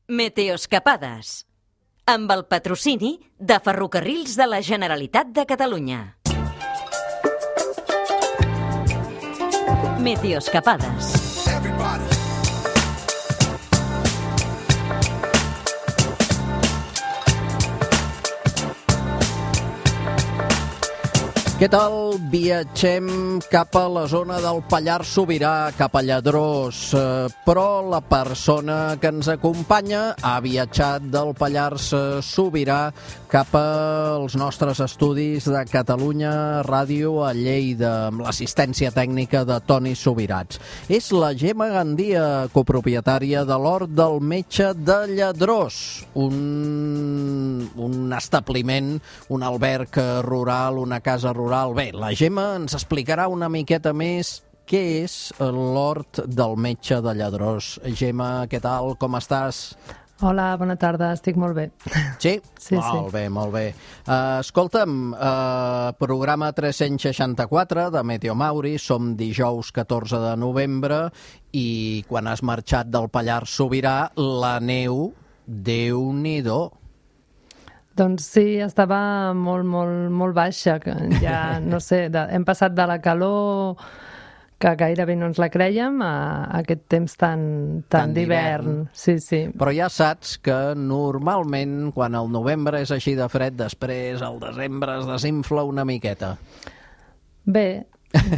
Meteoscapades, amb el patrocini de Ferrocarrils de la Generalitat de Catalunya. Meteoscapades. Què tal? Viatgem cap a la zona del Pallars Sobirà, cap a Lladrós, però la persona que ens acompanya ha viatjat del Pallars Sobirà cap als nostres estudis de Catalunya Ràdio a Lleida, amb l'assistència tècnica de Toni Subirats. És la Gemma Gandia, copropietària de l'Hort del Metge de Lladrós, un establiment, un alberg rural, una casa rural. Bé, la Gemma ens explicarà una miqueta més què és l'Hort del Metge de Lladrós. Gemma, què tal? Com estàs? Hola, bona tarda, estic molt bé. Sí? Sí, molt bé, molt bé. Escolta'm, programa 364 de Meteo Mauri, som dijous 14 de novembre i quan has marxat del Pallars Sobirà, la neu, Déu-n'hi-do. Doncs sí, estava molt baixa, que ja, no sé, hem passat de la calor que gairebé no ens la crèiem a aquest temps tan d'hivern. Sí. Però ja saps que normalment quan el novembre és així de fred, després el desembre es desinfla una miqueta. Bé,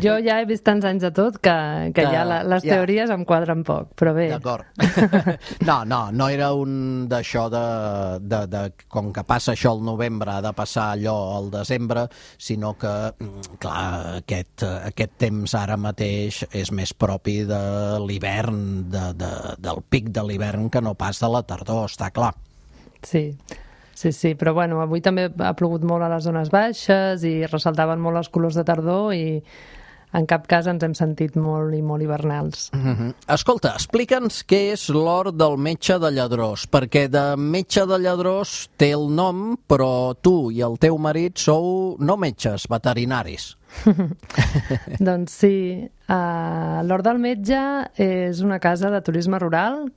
jo ja he vist tants anys de tot que ja les teories em quadren poc, però bé. D'acord. No era un d'això de com que passa això al novembre, ha de passar allò al desembre, sinó que, clar, aquest temps ara mateix és més propi de l'hivern, del pic de l'hivern que no pas de la tardor, està clar. Sí, però bueno, avui també ha plogut molt a les zones baixes i ressaltaven molt els colors de tardor i en cap cas ens hem sentit molt hivernals. Escolta, explica'ns què és l'Hort del Metge de Lladrós, perquè de Metge de Lladrós té el nom, però tu i el teu marit sou no metges, veterinaris. Doncs sí, l'Hort del Metge és una casa de turisme rural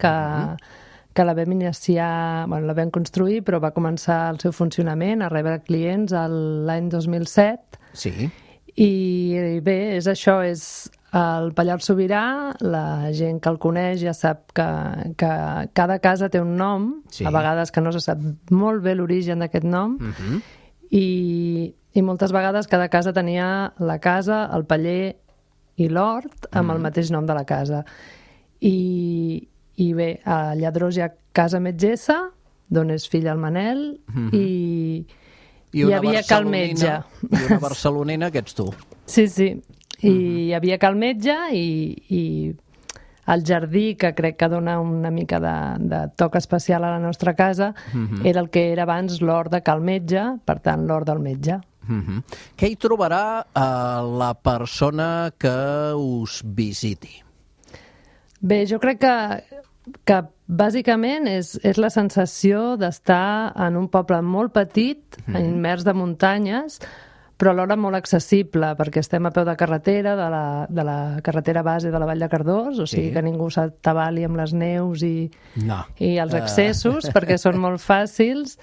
que la vam iniciar, la vam construir, però va començar el seu funcionament, a rebre clients l'any 2007. Sí. I bé, és això, és el Pallars Sobirà, la gent que el coneix ja sap que cada casa té un nom, sí. A vegades que no se sap molt bé l'origen d'aquest nom, i moltes vegades cada casa tenia la casa, el paller i l'hort amb el mateix nom de la casa. I bé, a Lladrós hi ha Casa Metgessa, d'on és fill el Manel, i hi havia Cal Metge. I una barcelonina que ets tu. Sí, i hi havia Cal Metge i el jardí, que crec que dona una mica de toc especial a la nostra casa, era el que era abans l'Hort de Cal Metge, per tant l'Hort del Metge. Què hi trobarà la persona que us visiti? Bé, jo crec que bàsicament és la sensació d'estar en un poble molt petit, immers de muntanyes, però alhora molt accessible, perquè estem a peu de carretera, de la carretera base de la Vall de Cardós, o sigui que ningú s'atabali amb les neus i els accessos, perquè són molt fàcils.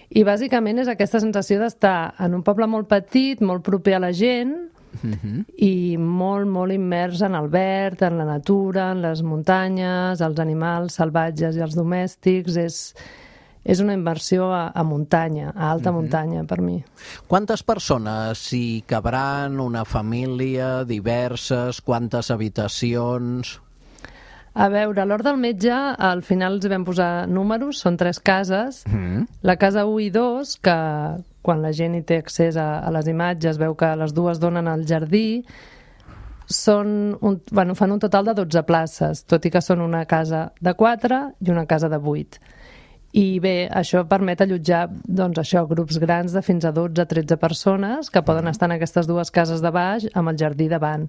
I bàsicament és aquesta sensació d'estar en un poble molt petit, molt proper a la gent, i molt immers en el verd, en la natura, en les muntanyes, els animals salvatges i els domèstics. És una immersió a muntanya, a alta muntanya per mi. Quantes persones hi cabran? Una família, diverses? Quantes habitacions? A veure, a l'Hort del Metge al final els vam posar números, són 3 cases. La casa 1 i 2, que quan la gent hi té accés a les imatges veu que les dues donen al jardí, fan un total de 12 places, tot i que són una casa de 4 i una casa de 8. I bé, això permet allotjar grups grans de fins a 12-13 persones que poden estar en aquestes dues cases de baix amb el jardí davant.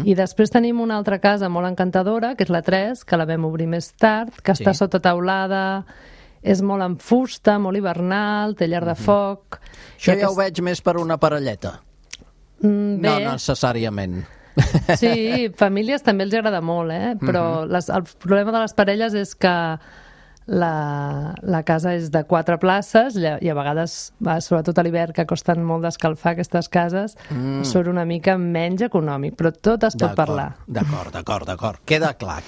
I després tenim una altra casa molt encantadora, que és la 3, que la vam obrir més tard, que està sota teulada, és molt en fusta, molt hivernal, té llar de foc. Això ja ho veig més per una parelleta. No necessàriament. Sí, famílies també els agrada molt, però el problema de les parelles és que la casa és de 4 places i a vegades, sobretot a l'hivern, que costen molt d'escalfar aquestes cases, surt una mica menys econòmic, però tot es pot parlar. D'acord. Queda clar.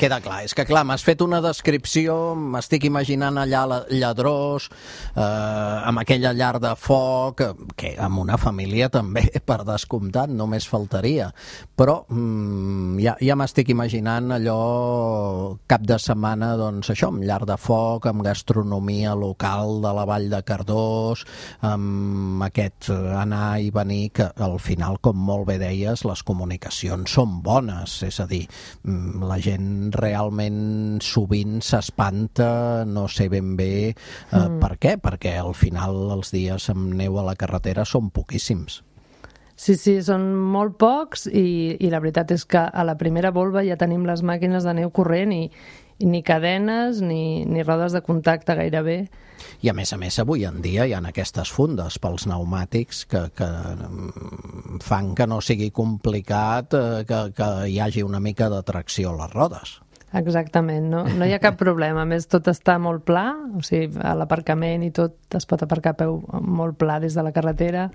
És que, clar, m'has fet una descripció, m'estic imaginant allà lladrós, amb aquella llar de foc, que amb una família també, per descomptat, només faltaria. Però ja m'estic imaginant allò cap de setmana, doncs això, amb llar de foc, amb gastronomia local de la Vall de Cardós, amb aquest anar i venir, que al final, com molt bé deies, les comunicacions són bones, és a dir, la gent realment sovint s'espanta, no sé ben bé per què, perquè al final els dies amb neu a la carretera són poquíssims. Sí, són molt pocs i la veritat és que a la primera volva ja tenim les màquines de neu corrent i ni cadenes ni rodes de contacte gairebé. I a més, avui en dia hi ha aquestes fundes pels pneumàtics que fan que no sigui complicat que hi hagi una mica de tracció a les rodes. Exactament, no hi ha cap problema. A més, tot està molt pla, o sigui, a l'aparcament i tot es pot aparcar a peu molt pla des de la carretera.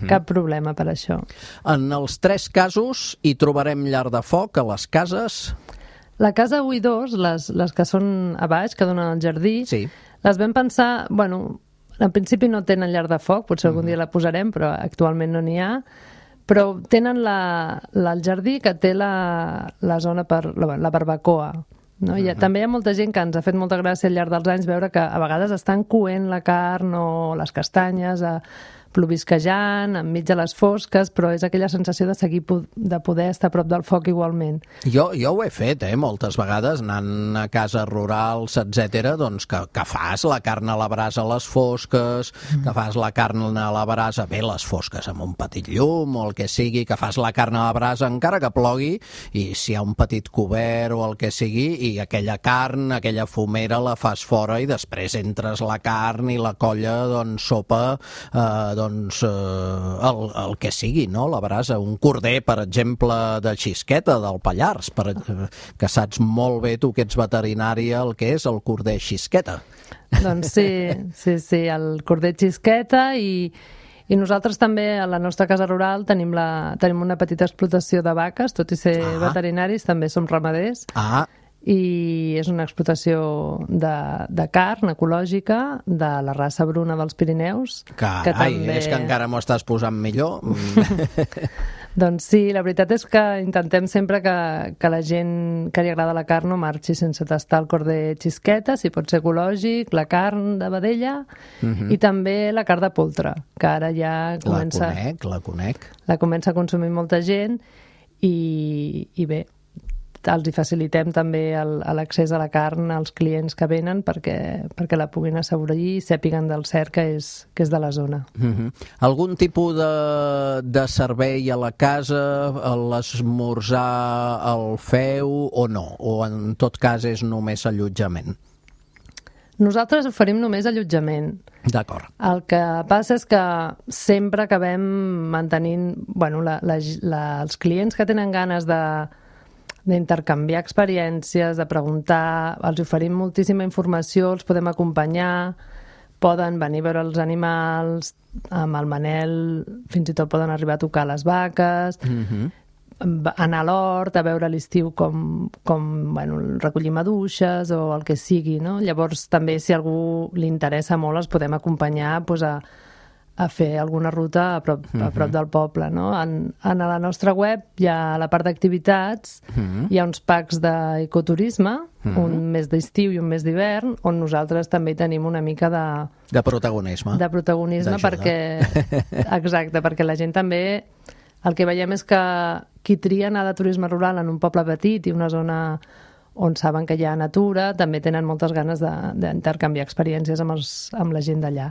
Cap problema per això. En els 3 casos hi trobarem llar de foc a les cases. La casa 1 i 2, les que són a baix, que donen al jardí, sí. Les vam pensar, en principi no tenen llar de foc, potser algun dia la posarem, però actualment no n'hi ha, però tenen el jardí que té la zona per la barbacoa. No? També hi ha molta gent que ens ha fet molta gràcia al llarg dels anys veure que a vegades estan coent la carn o les castanyes plovisquejant, enmig de les fosques, però és aquella sensació de poder estar a prop del foc igualment. Jo ho he fet, moltes vegades, anant a cases rurals, etc., doncs que fas la carn a la brasa a les fosques, que fas la carn a la brasa, les fosques amb un petit llum o el que sigui, que fas la carn a la brasa encara que plogui, i si hi ha un petit cobert o el que sigui, i aquella carn, aquella fumera la fas fora i després entres la carn i la colla, doncs, sopa, el que sigui, no? La brasa, un corder, per exemple, de xisqueta del Pallars, que saps molt bé tu que ets veterinària el que és el corder xisqueta. Doncs sí, el corder xisqueta i nosaltres també a la nostra casa rural tenim una petita explotació de vaques, tot i ser veterinaris, també som ramaders. I és una explotació de carn ecològica de la raça bruna dels Pirineus. És que encara m'ho estàs posant millor. Doncs sí, la veritat és que intentem sempre que la gent que li agrada la carn no marxi sense tastar el corder xisqueta, si pot ser ecològic, la carn de vedella i també la carn de poltre, que ara ja comença... La conec. La comença a consumir molta gent i bé, els hi facilitem també l'accés a la carn als clients que venen perquè la puguin assaborir i sàpiguen del cert que és de la zona. Algun tipus de servei a la casa, l'esmorzar el feu o no? O en tot cas és només allotjament? Nosaltres oferim només allotjament. D'acord. El que passa és que sempre acabem mantenint... els clients que tenen ganes d'intercanviar experiències, de preguntar, els oferim moltíssima informació, els podem acompanyar, poden venir a veure els animals, amb el Manel fins i tot poden arribar a tocar les vaques, anar a l'hort, a veure a l'estiu com recollir maduixes o el que sigui, no? Llavors també si a algú li interessa molt els podem acompanyar a fer alguna ruta a prop del poble, no? A la nostra web hi ha la part d'activitats, hi ha uns packs d'ecoturisme, un mes d'estiu i un mes d'hivern, on nosaltres també tenim una mica de protagonisme. De protagonisme exacte, perquè la gent també... El que veiem és que qui tria anar de turisme rural en un poble petit i una zona on saben que hi ha natura, també tenen moltes ganes d'intercanviar experiències amb la gent d'allà.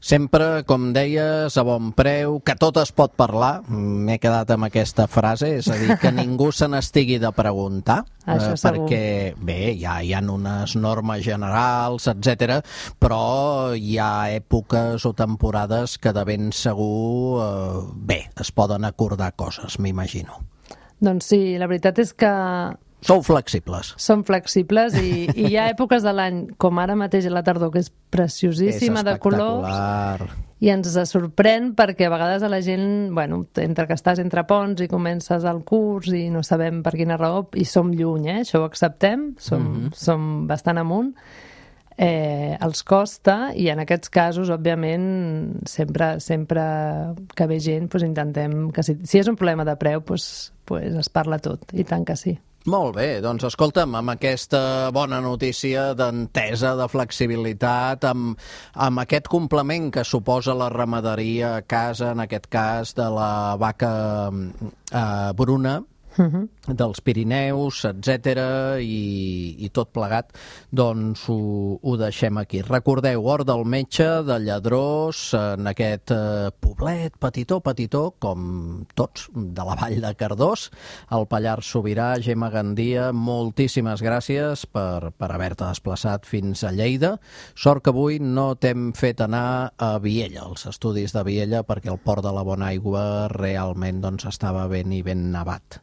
Sempre, com deies, a bon preu, que tot es pot parlar, m'he quedat amb aquesta frase, és a dir, que ningú se n'estigui de preguntar, perquè, bé, hi ha unes normes generals, etc, però hi ha èpoques o temporades que de ben segur, bé, es poden acordar coses, m'imagino. Doncs sí, la veritat és que Sou flexibles. Som flexibles i hi ha èpoques de l'any, com ara mateix a la tardor, que és preciosíssima de colors, i ens sorprèn perquè a vegades a la gent, bueno, entre que estàs entre ponts i comences el curs i no sabem per quina raó, i som lluny, això ho acceptem, som bastant amunt, els costa, i en aquests casos, òbviament, sempre que ve gent, intentem que si és un problema de preu, es parla tot, i tant que sí. Molt bé, doncs escolta'm, amb aquesta bona notícia d'entesa, de flexibilitat, amb aquest complement que suposa la ramaderia a casa, en aquest cas de la vaca bruna, dels Pirineus, etc. i tot plegat, doncs ho deixem aquí. Recordeu, Hort del Metge de Lladrós, en aquest poblet petitó, com tots, de la Vall de Cardós, al Pallars Sobirà. Gemma Gandia, moltíssimes gràcies per haver-te desplaçat fins a Lleida. Sort que avui no t'hem fet anar a Viella, als estudis de Viella, perquè el port de la Bonaigua realment estava ben nevat.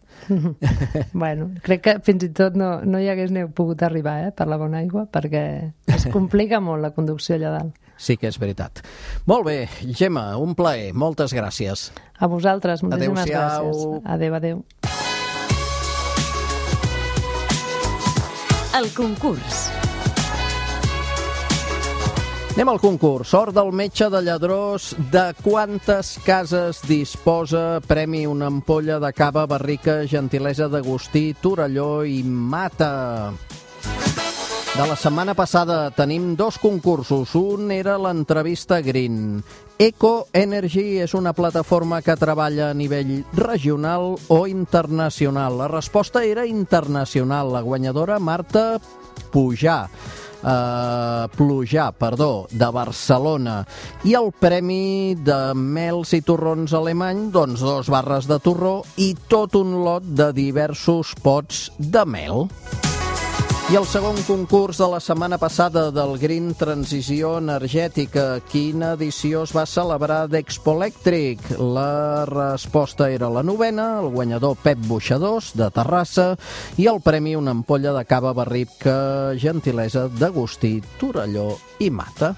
Bueno, crec que fins i tot no hi hagués pogut arribar per la Bonaigua, perquè es complica molt la conducció allà dalt. Sí que és veritat. Molt bé, Gemma, un plaer, moltes gràcies. A vosaltres, moltíssimes gràcies. Adéu. El concurs. Anem al concurs. Hort del Metge de Lladrós, de quantes cases disposa? Premi una ampolla de cava, barrica, gentilesa d'Agustí, Torelló i Mata. De la setmana passada tenim 2 concursos. Un era l'entrevista Green. Eco Energy és una plataforma que treballa a nivell regional o internacional. La resposta era internacional. La guanyadora, Marta Plujar, de Barcelona. I el premi de mels i torrons alemany, 2 barres de torró i tot un lot de diversos pots de mel. I el segon concurs de la setmana passada del Green Transició Energètica. Quina edició es va celebrar d'Expo Elèctric? La resposta era la 9ª, el guanyador Pep Boixadors, de Terrassa, i el premi una ampolla de cava barrica, gentilesa d'Agustí, Torelló i Mata.